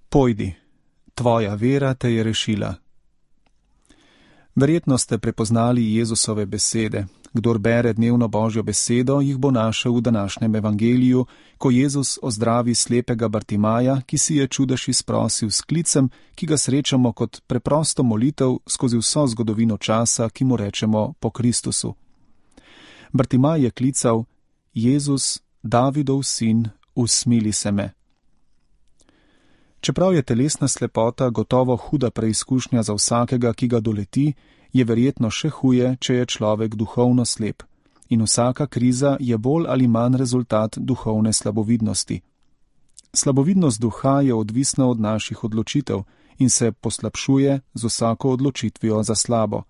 Pojdi, tvoja vera te je rešila. Verjetno ste prepoznali Jezusove besede. Kdor bere dnevno Božjo besedo, jih bo našel v današnjem evangeliju, ko Jezus ozdravi slepega Bartimaja, ki si je čudež izprosil s klicem, ki ga srečamo kot preprosto molitev skozi vso zgodovino časa, ki mu rečemo po Kristusu. Bartimaj je klical: Jezus, Davidov sin, usmili se me. Čeprav je telesna slepota gotovo huda preizkušnja za vsakega, ki ga doleti, je verjetno še huje, če je človek duhovno slep. In vsaka kriza je bolj ali manj rezultat duhovne slabovidnosti. Slabovidnost duha je odvisna od naših odločitev in se poslabšuje z vsako odločitvijo za slabo.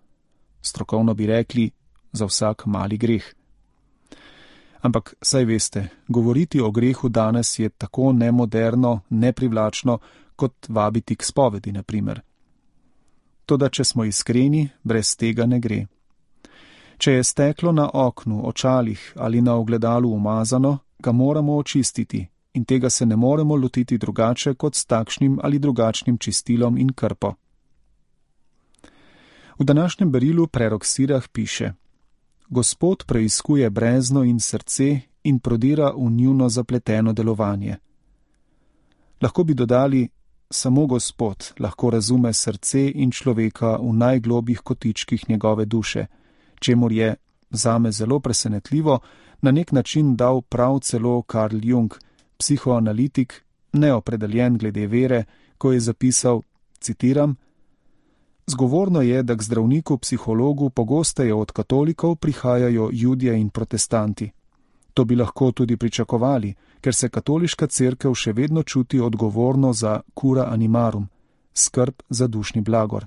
Strokovno bi rekli, za vsak mali greh. Ampak, saj veste, govoriti o grehu danes je tako nemoderno, neprivlačno, kot vabiti k spovedi, na primer. Toda, če smo iskreni, brez tega ne gre. Če je steklo na oknu, očalih ali na ogledalu umazano, ga moramo očistiti in tega se ne moremo lotiti drugače kot s takšnim ali drugačnim čistilom in krpo. V današnjem berilu prerok Sirah piše: Gospod preiskuje brezno in srce in prodira v njuno zapleteno delovanje. Lahko bi dodali: samo Gospod lahko razume srce in človeka v najglobjih kotičkih njegove duše, čemur je, zame zelo presenetljivo, na nek način dal prav celo Carl Jung, psihoanalitik, neopredeljen glede vere, ko je zapisal, citiram: Zgovorno je, da k zdravniku psihologu pogosteje od katolikov prihajajo Judje in protestanti. To bi lahko tudi pričakovali, ker se katoliška cerkev še vedno čuti odgovorno za cura animarum, skrb za dušni blagor.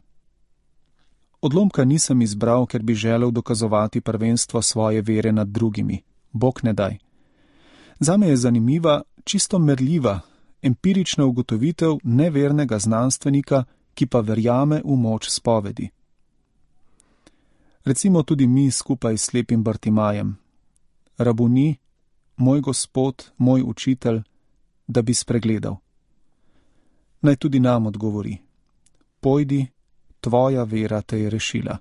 Odlomka nisem izbral, ker bi želel dokazovati prvenstvo svoje vere nad drugimi. Bog ne daj. Zame je zanimiva, čisto merljiva, empirična ugotovitev nevernega znanstvenika, ki pa verjame v moč spovedi. Recimo tudi mi skupaj s slepim Bartimajem. Rabuni, moj Gospod, moj učitelj, da bi spregledal. Naj tudi nam odgovori: Pojdi, tvoja vera te je rešila.